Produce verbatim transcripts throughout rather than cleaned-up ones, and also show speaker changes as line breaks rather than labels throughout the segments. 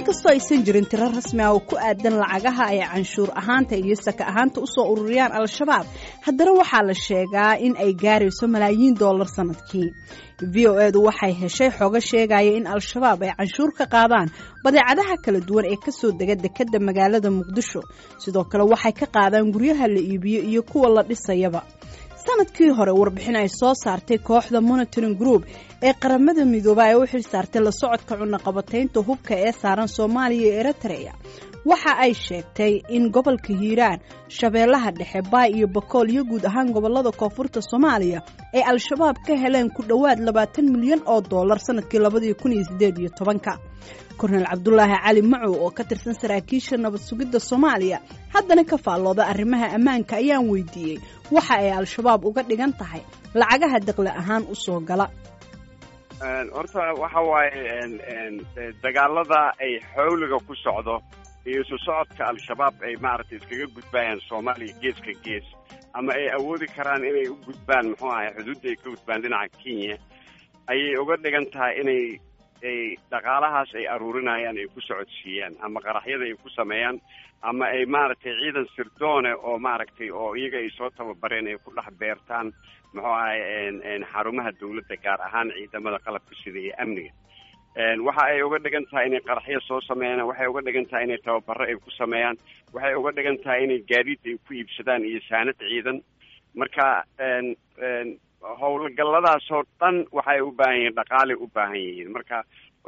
Inkastoo aysan jirin tiro rasmi ah oo ku aadan lacagaha ay canshuur ahaanta iyo saka ahaanta usoo ururiyaan Al-Shabaab, haddana waxaa la sheegaa in ay gaarayso malaayiin dollar sanadkii. V O edu waxay heshay xogo sheegaya in Al-Shabaab ay canshuur ka qaadaan badeecadaha kala duwan ee kasoo dega dekadda magaalada Muqdisho. Sidoo kale waxay ka qaadaan guryaha la iibiyo iyo kuwa la dhisayaba. Sanadkii hore warbixin ay soo saartay kooxda Monitoring Group ee Qaramada Midooba ee u xil saartay la socodka cunaqabataynta hubka ee saaran Soomaaliya iyo Eritrea waxa ay sheegtay in gobolka Hiiraan, Shabeellaha Dhexe, Baay iyo Bakool iyo guud ahaan gobolada koonfurta Soomaaliya ay Al-Shabaab ka heleen ku dhowaad labaatan milyan oo dollar sanadkii labadii kun iyo sideed iyo tobanka. Kornel Cabdulaahi Cali Macow oo ka tirsan saraakiisha nabad sugidda Soomaaliya, haddana ka faallooda arrimaha ammaanka, ayaan weydiiyey waxa ay Al-Shabaab uga dhigan tahay lacagaha daqli ahaan usoo gala.
Horta waxa waaye, dagaalada ay xawliga ku socdo iyo isu socodka Al-Shabaab ay maaragtay iskaga gudbayaan Soomaaliya geeska gees, ama ay awoodi karaan inay u gudbaan, muxuu ahay, xuduudda ay ka gudbaan dhinaca Kenya, ayay uga dhigan tahay inay ay dhaqaalahaas ay aruurinayaan ay ku socodsiiyaan, ama qaraxyada ay ku sameeyaan, ama ay maaragtay ciidan sirdoone oo maaragtay oo iyaga ay soo tababareen ay ku dhex beertaan, muxuu ahay, xarumaha dawladda, gaar ahaan ciidamada qalabka sida iyo amniga. Waxa ay uga dhigan tahay inay qaraxyo soo sameeyaan, waxay uga dhigan tahay inay tababaro ay ku sameeyaan, waxay uga dhigan tahay inay gaadiid ay ku iibsadaan iyo saanad ciidan. Marka howlgalladaasoo dhan waxay u baahan yihiin dhaqaalay u baahan yihiin. Marka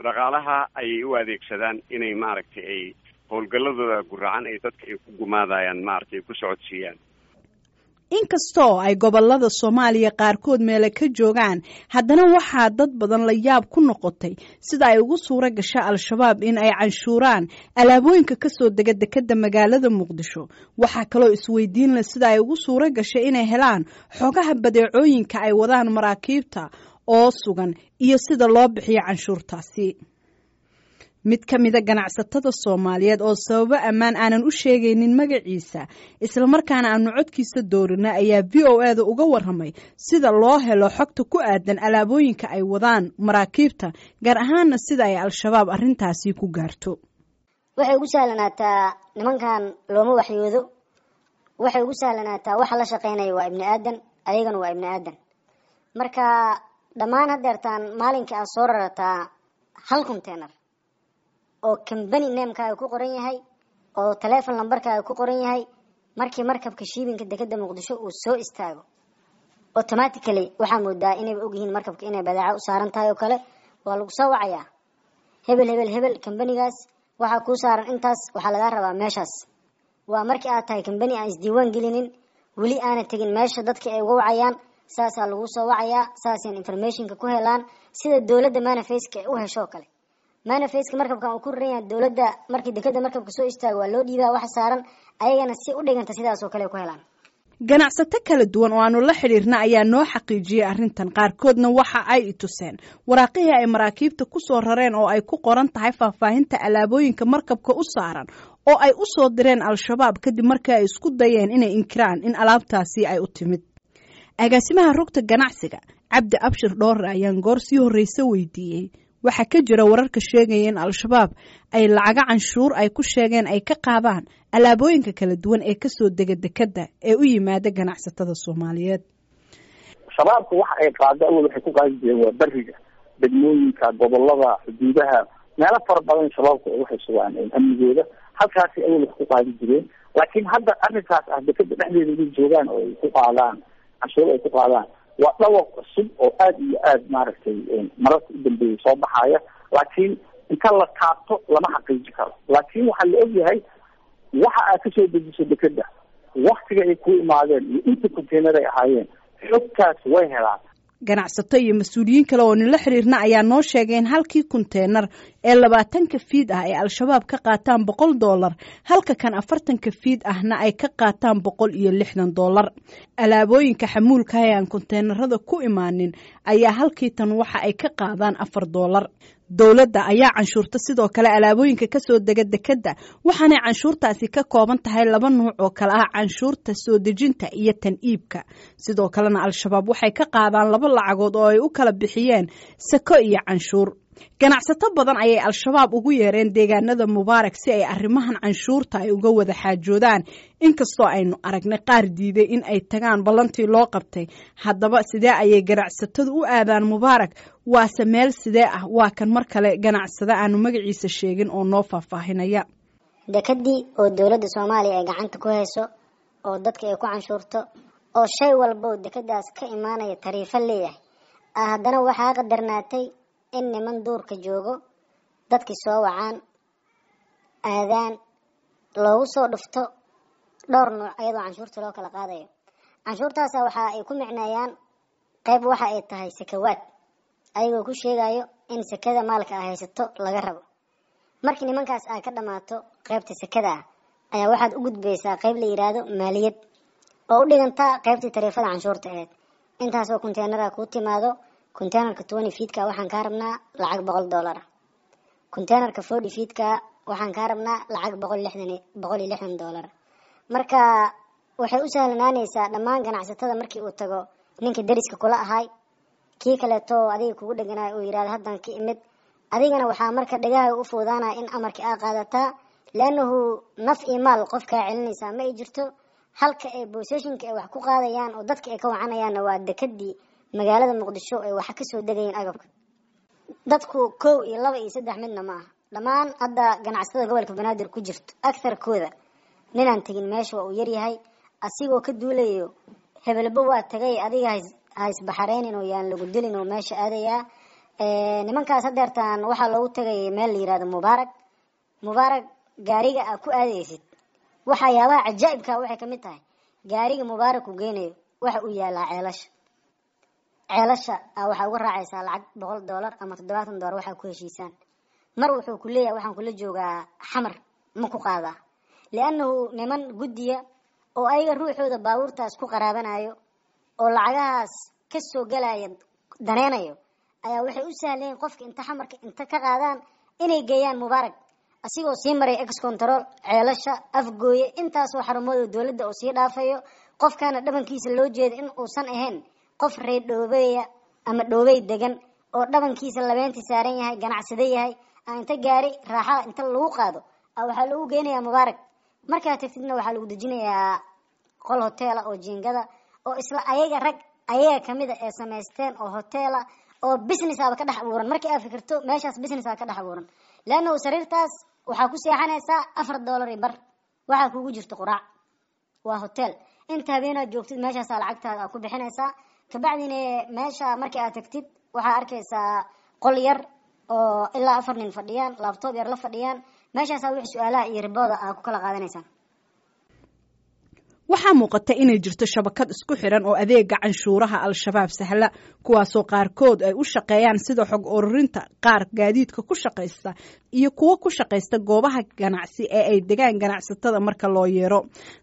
dhaqaalaha ayay u adeegsadaan inay maaragtay ay howlgalladooda guracan ay dadka ay ku gumaadayaan maaragtay ay ku socodsiiyaan.
Inkastoo ay gobolada Soomaaliya qaarkood meele ka joogaan, haddana waxaa dad badan la yaab ku noqotay sida ay ugu suuro gasha Al-Shabaab in ay canshuuraan alaabooyinka kasoo dega dekadda magaalada Muqdisho. Waxaa kaloo isweydiin leh sida ay ugu suuro gashay inay helaan xogaha badeecooyinka ay wadaan maraakiibta oo sugan iyo sida loo bixiyo canshuurtaasi. Mid ka mida ganacsatada Soomaaliyeed oo sababo ammaan aanan u sheegaynin magaciisa, islamarkaana aanu codkiisa doorina, ayaa V O e da uga waramay sida loo helo xogta ku aadan alaabooyinka ay wadaan maraakiibta, gaar ahaana sida ay Al-Shabaab arrintaasi ku gaarto.
Waxay ugu sahlanaataa nimankan looma waxyoodo. Waxay ugu sahlanaataa waxa la shaqeynaya waa ibni aadan, ayagana waa ibni aadan. Marka dhammaan hadeertaan maalinkii aad soo rarataa hal container oo company namekaaga ku qoran yahay oo telefon lambarkaaga ku qoran yahay, markii markabka shiibinka dekeda Muqdisho uu soo istaago, automatically waxaa moodaa inayba ogyihiin markabka inay badeeca u saaran tahay oo kale. Waa lagu soo wacayaa: "Hebel, hebel, hebel, kambanigaas waxaa kuu saaran intaas, waxaa lagaa rabaa meeshaas." Waa markii aad tahay kambani aan isdiiwaan gelinin, weli aana tegin meesha dadka ay uga wacayaan. Saasaa lagu soo wacayaa, saasayna informationka ku helaan, sida dowladda manifestka ay u hesho oo kale. Manifestka markabkan uu ku raran yahay dowladda, markii dekeda markabka soo istaago waa loo dhiibaa waxa saaran, ayagana si u dhiganta sidaas oo kale ay ku helaan.
Ganacsato kala duwan oo aanu la xidhiirna ayaa noo xaqiijiyey arrintan. Qaarkoodna waxa ay i tuseen waraaqihii ay maraakiibta ku soo rareen oo ay ku qoran tahay faahfaahinta alaabooyinka markabka u saaran oo ay u soo direen Al-Shabaab kadib markii ay isku dayeen inay inkiraan in alaabtaasi ay u timid. Agaasimaha rugta ganacsiga, Cabdi Abshir Dhoore, ayaan goor sii horreyse weydiiyey waxaa ka jira wararka sheegaya in Al-Shabaab ay lacago canshuur ay ku sheegeen ay ka qaadaan alaabooyinka kala duwan ee kasoo dega dekadda ee u yimaada ganacsatada Soomaaliyeed.
Shabaabku waxa ay qaado awal waxay ku qaadi jireen waa beriga, degmooyinka, gobolada, xuduudaha, meelo fara badan. Shabaabku waxay sugaan amnigooda, halkaasi awal wax ku qaadi jireen. Laakiin hadda arrinkaas ah dekada dhexdeeda inay joogaan oo ay ku qaadaan canshuur ay ku qaadaan waa dhawaq cusub oo aada iyo aada maaragtay mararka u dambeeyay soo baxaya. Laakiin inta la taabto lama xaqiiji karo. Laakiin waxaa la ogyahay waxa aad kasoo dejiso dekeda, waktiga ay ku imaadeen iyo inta container ay ahaayeen, xogtaas way helaan.
Ganacsato iyo mas-uuliyiin kale oo nila xiriirna ayaa noo sheegay in halkii konteenar ee labaatanka fiid ah ay Al-Shabaab ka qaataan boqol dollar, halka kan afartanka fiid ahna ay ka qaataan boqol iyo lixdan dollar. Alaabooyinka xamuulka ee aan konteenarada ku imaanin ayaa halkii tan waxa ay ka qaadaan afar dollar. Dowladda ayaa canshuurta sidoo kale alaabooyinka kasoo dega dekadda, waxaanay canshuurtaasi ka kooban tahay laba nuuc oo kale ah: canshuurta soo dejinta iyo tan iibka. Sidoo kalena Al-Shabaab waxay ka qaadaan laba lacagood oo ay u kala bixiyeen sako iyo canshuur. Ganacsato badan ayay Al-Shabaab ugu yeereen deegaanada Mubaarak si ay arrimahan canshuurta ay uga wada xaajoodaan, inkastoo aynu aragnay qaar diiday in ay tagaan ballantii loo qabtay. Haddaba sidee ayay ganacsatadu u aadaan Mubaarak? Waase meel sidee ah? Waa kan mar kale ganacsade aanu magaciisa sheegin oo noo faahfaahinaya.
Dekadii oo dowladda Soomaaliya ay gacanta ku hayso oo dadka ay ku canshuurto oo shay walba oo dekadaas ka imaanaya tariifo leeyahay, haddana waxaa qadarnaatay in niman duurka joogo dadkii soo wacaan aadaan loogu soo dhufto dhowr nuuc iyadoo canshuurta loo kala qaadayo. Canshuurtaasa waxa ay ku micneeyaan qayb waxa ay tahay sakawaad, ayagoo ku sheegayo in sakada maalka a haysato laga rabo. Markii nimankaas ay ka dhammaato qaybta sakada ah ayaa waxaad u gudbaysaa qayb la yidhaahdo maaliyad oo u dhigantaa qaybtii tariifada canshuurta ahayd. Intaasoo konteenara kuu timaado, konteenarka twenty feetka waxaan kaa rabnaa lacag boqol dollar ah, konteenarka forty feetka waxaan kaa rabnaa lacag boqol lixdan boqol iyo lixdan dollar. Marka waxay u sahlanaanaysaa dhammaan ganacsatada markii uu tago ninka deriska kula ahay, kii kaleeto adiga kugu dheganaay uu yidhahdo haddan ka imid, adigana waxaa marka dhagaha u fuudaanaya in amarkii aa qaadataa, liannahu naf iyo maal qof kaa celinaysaa ma ay jirto. Halka ay booseshinka ay wax ku qaadayaan oo dadka ay ka wacanayaanna waa dekadii magaalada Muqdisho ay wax ka soo degayeen agabka. Dadku kow iyo laba iyo saddex midna ma aha, dhammaan hadda ganacsatada gobolka Banaadir ku jirto agtarkooda ninaan tegin meesha waa uu yaryahay, asigoo ka duulayo hebelba waa tagay adiga ha isbaxareynin oo yaan lagu dilin oo meesha aadayaa. Nimankaas hadeertaan waxaa loogu tagay meel la yihahdo Mubaarak. Mubaarak gaariga aa ku aadaysid, waxyaabaha cajaa'ibka waxay kamid tahay gaariga Mubaarak uu geynayo waxa uu yaalaa ceelasha. Ceelasha a waxaa uga raacaysaa lacag boqol dollar ama toddobaatan dollar waxaa ku heshiisaan. Mar wuxuu ku leeyahay waxaan kula joogaa Xamar, ma ku qaadaa? Liannahu niman guddiya oo ayaga ruuxooda baabuurtaas ku qaraabanayo oo lacagahaas ka soo galaya daneynayo ayaa waxay u sahlayeen qofka inta Xamarka inta ka qaadaan inay geeyaan Mubaarak, asigoo sii maray ex control ceelasha Afgooye intaasoo xarumood oo dowladda oo sii dhaafayo. Qofkaana dhabankiisa loo jeeda in uusan ahayn qof reer dhoobeeya ama dhoobey degan oo dhabankiisa labeentii saaran yahay, ganacsade yahay, aa inta gaari raaxada inta lagu qaado a waxaa lagu geynayaa Mubaarak. Markaa tagtidna waxaa lagu dejinayaa qol hoteela oo jiingada oo isla ayaga rag ayaga kamida ee samaysteen oo hoteela oo business aba ka dhex abuuran. Markii aad fikirto meeshaas business aa ka dhex abuuran, leannahu sariirtaas waxaa ku seexanaysaa afar dollar iyo bar, waxaa kugu jirta quraac, waa hotel. Inta habeenaad joogtid meeshaasaa lacagtaada aad ku bixinaysaa. Kabacdina meesha markii aad tagtid waxaa arkaysaa qol yar oo ilaa afar nin fadhiyaan, laabtoob yar la fadhiyaan, meeshaasaa wix su-aalaha iyo ribooda aad ku kala qaadanaysaan.
Waxaa muuqata inay jirto shabakad isku xiran oo adeega canshuuraha Al-Shabaab sahla, kuwaasoo qaarkood ay u shaqeeyaan sida xog ururinta, qaar gaadiidka ku shaqaysta iyo kuwo ku shaqaysta goobaha ganacsi ee ay degaan ganacsatada marka loo yeero.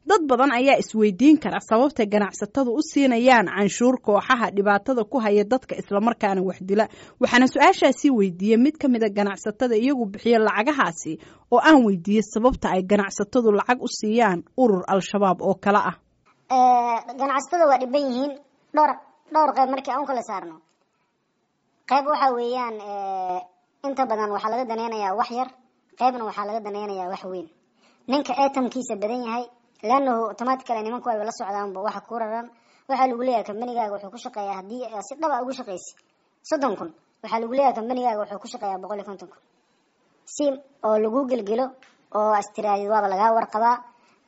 Dad badan ayaa isweydiin kara sababta ganacsatadu u siinayaan canshuur kooxaha dhibaatada ku haya dadka islamarkaana wax dila. Waxaana su-aashaasi weydiiyey mid ka mida ganacsatada iyagu bixiya lacagahaasi oo aan weydiiyey sababta ay ganacsatadu lacag u siiyaan urur Al-Shabaab oo kale ah.
Ganacsatada waa dhiban yihiin dhowr dhowr qayb markii aan u kala saarno. Qayb waxa weeyaan inta badan waxaa laga daneynayaa wax yar, qaybna waxaa laga daneynayaa wax weyn. Ninka atamkiisa badan yahay, leannahu automatically nimanku ay la socdaanba waxa ku raran. Waxaa lagu leeyahay kambanigaaga wuxuu ku shaqeeyaa, haddii si dhaba ugu shaqeysi soddon kun, waxaa lagu leeyahay kambanigaaga wuxuu ku shaqeeyaa boqol iyo konton kun, si oo lagu gelgelo oo astiraadid waaba lagaa warqabaa.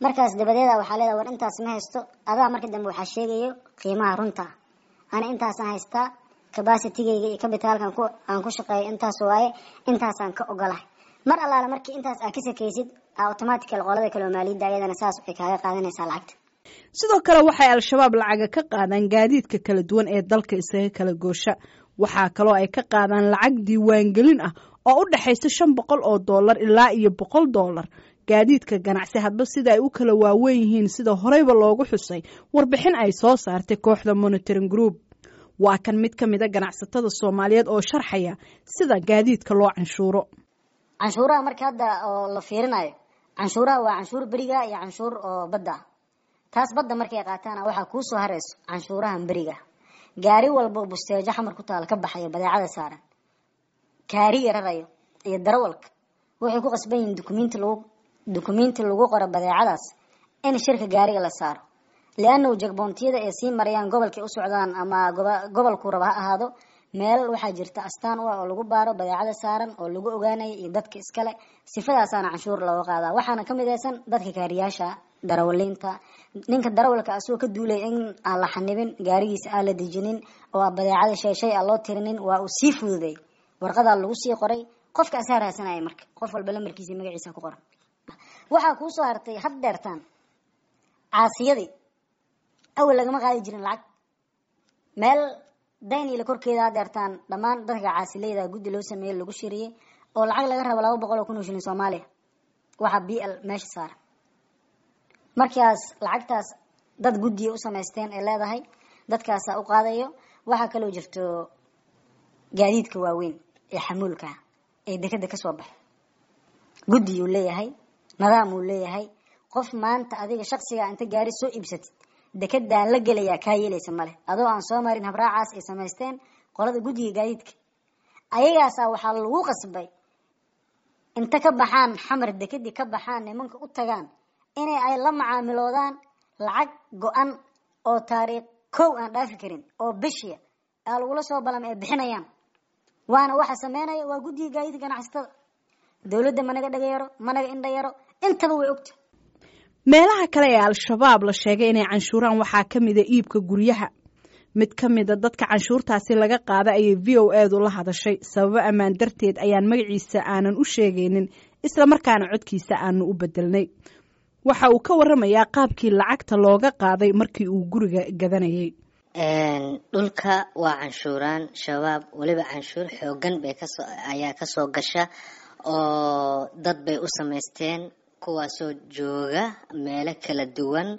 Markaas dabadeeda waxaa leedahay war intaas ma haysto. Adaa marka dambe waxaa sheegayo qiimaha runta, ana intaasaan haystaa, capacitigayga iyo capitalkan ku aan ku shaqeeyo intaas waaye, intaasaan ka ogolahay. Mar allaale markii intaas aad ka sakaysid, automatically qolada kale oo maaliyadda ayadana saas waxay kaaga qaadanaysaa lacagta.
Sidoo kale waxay Al-Shabaab lacaga ka qaadaan gaadiidka kala duwan ee dalka isaga kala goosha. Waxaa kaloo ay ka qaadaan lacag diiwaangelin ah oo u dhexaysa shan boqol oo dollar ilaa iyo boqol dollar gaadiidka ganacsi, hadba sida ay u kala waaweyn yihiin, sida horeyba loogu xusay warbixin ay soo saartay kooxda Monitoring Group. Waa kan mid ka mid a ganacsatada Soomaaliyeed oo sharxaya sida gaadiidka loo canshuuro.
Canshuuraha marka hadda oo la fiirinayo, canshuuraha waa canshuur beriga iyo canshuur oo badda ah. Taas badda markay qaataana waxaa kuu soo harayso canshuurahan beriga. Gaari walba oo busteejo Xamar ku taala ka baxayo badeecada saaran Kaariga rarayo iyo darawalka waxay ku qasban yihiin dukumiinti lagu dukumiinti lagu qoro badeecadaas in shirka gaariga la saaro, liannahu checkpointiyada ay sii marayaan gobolkay u socdaan ama gobolku raba ha ahaado, meel waxaa jirta astaan u ah oo lagu baaro badeecada saaran oo lagu ogaanayo iyo dadka iskale. Sifadaasaana canshuur looga qaadaa. Waxaana ka midaysan dadka kaariyaasha, darawaliinta. Ninka darawalka asagoo ka duulay in aan la xanibin gaarigiisa, aan la dejinin oo aan badeecada shay shay aan loo tirinin, waa uu sii fududay, warqadaa lagu sii qoray, qofka asaa raadsanaya. Marka qof walba lamarkiisa, magaciisa ku qoran. Waxaa kuu soo hartay had dheertaan caasiyadii awal lagama qaadi jirin lacag meel Dayniile korkeeda. Hadeertaan dhammaan dadka caasileyda guddi loo sameeyey, lagu shiriyey oo lacag laga rabo laba boqol oo kun oo shilin Soomaaliya. Waxaa b l meesha saaran markaas lacagtaas dad guddiya u samaysteen ee leedahay, dadkaasaa u qaadayo. Waxaa kaloo jirto gaadiidka waaweyn ee xamuulka ee dekeda kasoo baxay, guddiyuu leeyahay, nidaam uu leeyahay. Qof maanta adiga shaksiga inta gaari soo iibsatid dekedaan la gelayaa kaa yeelaysa male, adoo aan soo marin habraacaas ay samaysteen qolada guddiga gaadiidka. Ayagaasaa waxaa lagu qasbay inta ka baxaan Xamar, dekedii ka baxaan, nimanka u tagaan, inay ay la macaamiloodaan lacag go-an oo taariikh kow aan dhaafi karin oo bishiya aa lagula soo balamay ay bixinayaan. Waana waxa sameynaya waa guddiga gaadiidka ganacsatada. Dowladda managa dhaga yaro, managa indha yaro, intaba way ogta.
Meelaha kale ee Al-Shabaab la sheegay inay canshuuraan waxaa ka mida iibka guryaha. Mid ka mida dadka canshuurtaasi laga qaada ayay V O edu la hadashay. Sababo ammaan darteed ayaan magaciisa aanan u sheegaynin, isla markaana codkiisa aanu u bedelnay. Waxa uu ka waramayaa qaabkii lacagta looga qaaday markii uu guriga gadanayay.
Dhulka waa canshuuraan Shabaab, weliba canshuur xoogan bay kasoo ayaa kasoo gasha oo dad bay u samaysteen, kuwaasoo jooga meelo kala duwan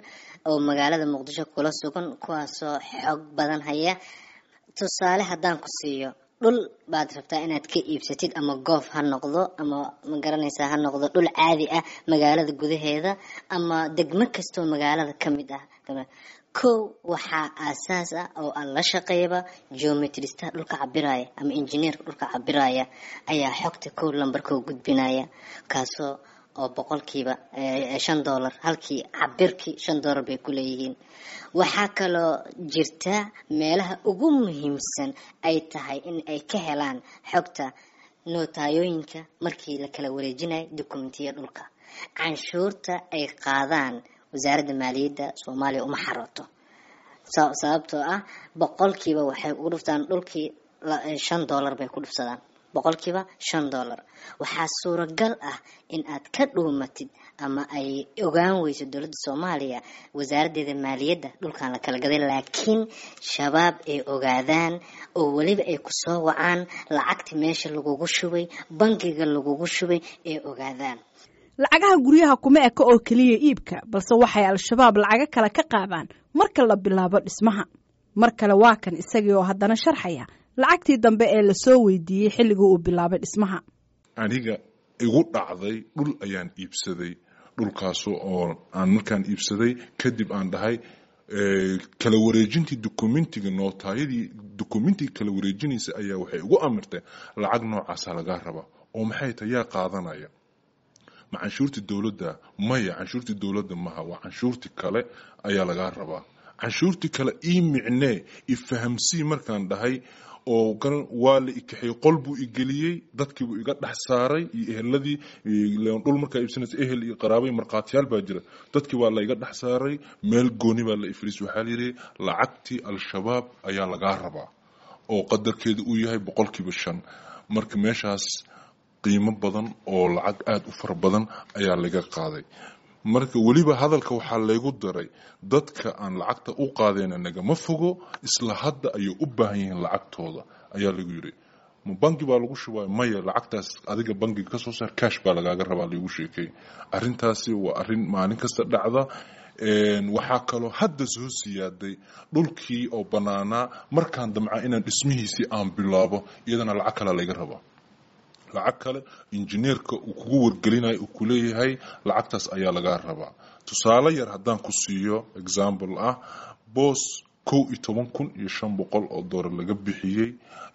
oo magaalada Muqdisho kula sugan, kuwaasoo xog badan haya. Tusaale haddaan ku siiyo, dhul baad rabtaa inaad ka iibsatid, ama goof ha noqdo ama ma garanaysaa ha noqdo dhul caadi ah magaalada gudaheeda ama degmo kastoo magaalada ka mid ah. Kow, waxaa aasaas ah oo aan la shaqeeyaba geometristaha dhulka cabiraya ama injineerka dhulka cabiraya ayaa xogta kow lambarkoo gudbinaya, kaasoo oo boqolkiiba shan dollar, halkii cabirkii shan dollar bay ku leeyihiin. Waxaa kaloo jirta meelaha ugu muhiimsan ay tahay in ay ka helaan xogta nootayooyinka markii la kala wareejinayo dukumentiya dhulka. Canshuurta ay qaadaan Wasaaradda Maaliyadda Soomaaliya uma xarooto, sababtoo ah boqolkiiba waxay ugu dhuftaan dhulkii shan dollar bay ku dhufsadaan, boqolkiiba shan dollar. Waxaa suuragal ah in aad ka dhuumatid ama ay ogaan weyso dowladda Soomaaliya, wasaaraddeeda maaliyadda, dhulkan la kala gaday, laakiin Shabaab ay ogaadaan oo weliba ay kusoo wacaan, lacagta meesha lagugu shubay, bangiga lagugu shubay ay ogaadaan.
Lacagaha guryaha kuma eka oo keliya iibka, balse waxay Al-Shabaab lacago kale ka qaadaan marka la bilaabo dhismaha. Mar kale waa kan isagii oo haddana sharxaya lacagtii dambe ee lasoo weydiiyey xilligii uu bilaabay dhismaha.
Aniga igu dhacday, dhul ayaan iibsaday, dhulkaas oo aan markaan iibsaday kadib aan dhahay kala wareejintii documentiga, nootaayadii documentiga kala wareejinaysa ayaa waxay igu amirtay lacag noocaasa lagaa rabaa. Oo maxay tahay? Yaa qaadanaya? Ma canshuurtii dowladda? Maya, canshuurtii dowladda maha, waa canshuurtii kale ayaa lagaa rabaa. Canshuurtii kale ii micnee, ifahamsii markaan dhahay oo waa la ikaxiyey, qol buu igeliyey, dadkiibuu iga dhex saaray iyo eheladii. Dhul markaa iibsanaysa ehel iyo qaraabay markhaatiyaal baa jira. Dadkii waa la iga dhex saaray, meel gooni baa la ifriis. Waxaa la yidhi lacagtii Al-Shabaab ayaa lagaa rabaa oo qadarkeedu uu yahay boqolkiiba shan. Marka meeshaas qiimo badan oo lacag aada u fara badan ayaa laga qaaday. Marka weliba hadalka waxaa laygu daray, dadka aan lacagta u qaadayna nagama fogo, isla hadda ayay u baahan yihiin lacagtooda ayaa lagu yidhi. Ma bangi baa lagu shubay? Maya, lacagtaas adiga bangiga kasoo saar, cash baa lagaaga rabaa laygu sheekay. Arrintaasi waa arrin maalin kasta dhacda. Waxaa kaloo hadda soo siyaaday dhulkii oo bannaanaa markaan damca inaan dhismihiisii aan bilaabo, iyadana lacag kale layga rabaa, lacag kale injineerka uu kugu wargelinayo, uu kuleeyahay lacagtaas ayaa lagaa rabaa. Tusaale yar haddaan ku siiyo, example ah, boos Kow iyo toban kun iyo shan boqol oo doolar laga bixiyey.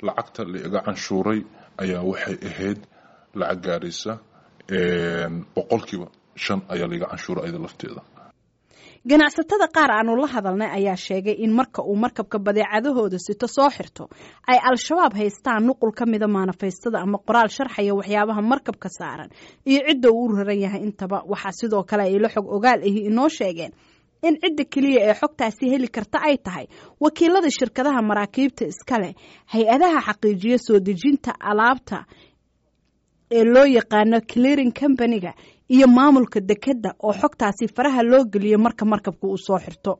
Lacagta la iga canshuuray ayaa waxay ahayd lacag gaaraysa boqolkiiba shan ayaa laiga canshuuray ayada lafteeda.
Ganacsatada qaar aanu la hadalnay ayaa sheegay in marka uu markabka badeecadahooda sito soo xirto ay Al-Shabaab haystaan nuqul ka mida maanafaystada ama qoraal sharxaya waxyaabaha markabka saaran iyo cidda uu u raran yahay intaba. Waxaa sidoo kale ay la xog ogaal ahi inoo sheegeen in cidda keliya ee xogtaasi heli karta ay tahay wakiilada shirkadaha maraakiibta iska leh, hay-adaha xaqiijiya soo dejinta alaabta ee loo yaqaano clearing company-ga iyo maamulka dekedda oo xogtaasi faraha loo geliyo marka markabka uu soo xirto.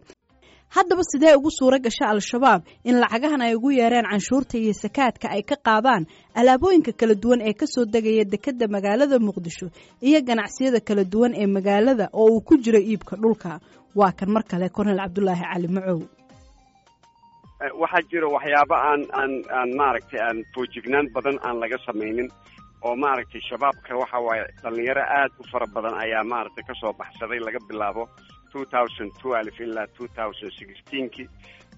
Haddaba sidee ugu suura gasha Al-Shabaab in lacagahan ay ugu yeereen canshuurta iyo sakaadka ay ka qaadaan alaabooyinka kala duwan ee kasoo degaya dekedda magaalada Muqdisho iyo ganacsiyada kala duwan ee magaalada oo uu ku jiro iibka dhulka? Waa kan mar kale Kornel Cabdulaahi Cali Macow.
Waxaa jira waxyaabo aan aan aan maaragtay aan foojignaan badan aan laga samaynin oo maaragtay shabaabka waxa waaye dhalinyaro aad u fara badan ayaa maaragtay kasoo baxsaday laga bilaabo two thousand twelve ilaa two thousand sixteenki,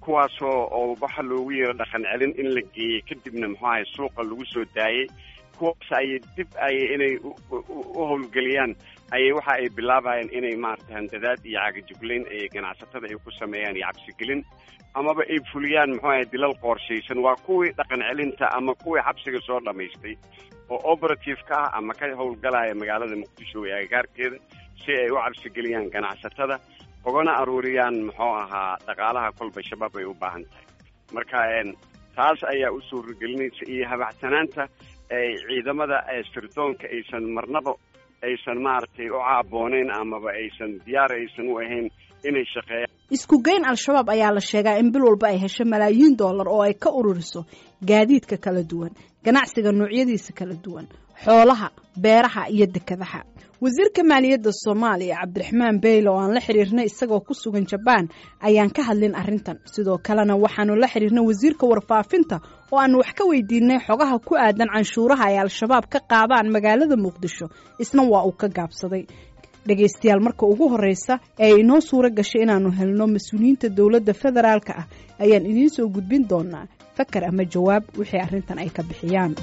kuwaasoo oo waxa loogu yeero dhaqan celin in la geeyey, kadibna muxuu ahay suuqa lagu soo daayey. Kuwaas ayay dib ayay inay u howlgeliyaan ayay waxa ay bilaabayaan inay maaragtay handadaad iyo cagajuglayn ay ganacsatada ay ku sameeyaan iyo cabsigelin, amaba ay fuliyaan muxuu ahay dilal qorshaysan. Waa kuwii dhaqan celinta ama kuwii xabsiga soo dhamaystay oo operative ka ah ama ka howlgalaya magaalada Muqdisho ee agagaarkeeda si ay u cabsigeliyaan ganacsatada ugana aruuriyaan muxuu ahaa dhaqaalaha kolba shabaab ay u baahan tahay. Marka taas ayaa u suuragelinaysa iyo habacsanaanta ay ciidamada sirdoonka aysan marnaba aysan maaragtay u caabooneyn amaba aysan diyaar aysan u ahayn inay shaqeeyaan.
Isku geyn Al-Shabaab ayaa la sheegaa in bil walba ay hesho malaayiin doolar oo ay ka ururiso gaadiidka kala duwan, ganacsiga noocyadiisa kala duwan, xoolaha, beeraha iyo dekadaha. Wasiirka maaliyadda Soomaaliya Cabdiraxmaan Beyle oo aan la xiriirnay isagoo ku sugan Jabaan ayaan ka hadlin arrintan. Sidoo kalena waxaanu la xiriirnay wasiirka warfaafinta oo aanu wax ka weydiinay xogaha ku aadan canshuuraha ay Al-Shabaab ka qaadaan magaalada Muqdisho, isna waa uu ka gaabsaday. Dhegaystayaal, marka ugu horeysa ee ay inoo suura gashay inaanu helno mas-uuliyiinta dowladda federaalka ah ayaan idiin soo gudbin doonaa fakar ama jawaab wixii arrintan ay ka bixiyaan.